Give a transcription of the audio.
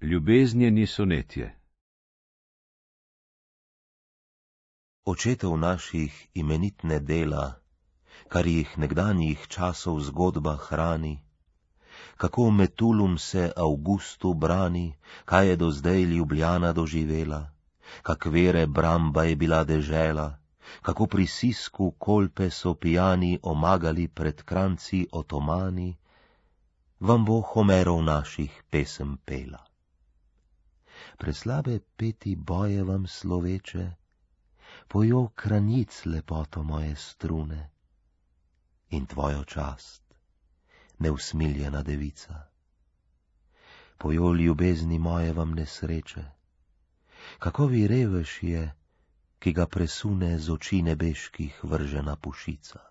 Ljubeznjeni sonetje. Očetov naših imenitne dela, kar jih nekdanjih časov zgodba hrani, kako Metulum se Avgustu brani, kaj je do zdaj Ljubljana doživela, kak vere Bramba je bila dežela, kako pri Sisku Kolpe so pijani omagali pred kranci Otomani, vam bo Homerov naših pesem pela. Preslabe peti boje vam sloveče, pojo kranic lepoto moje strune in tvojo čast, neusmiljena devica. Pojo ljubezni moje vam nesreče, kako vi revež je, ki ga presune z oči nebeških vržena pušica.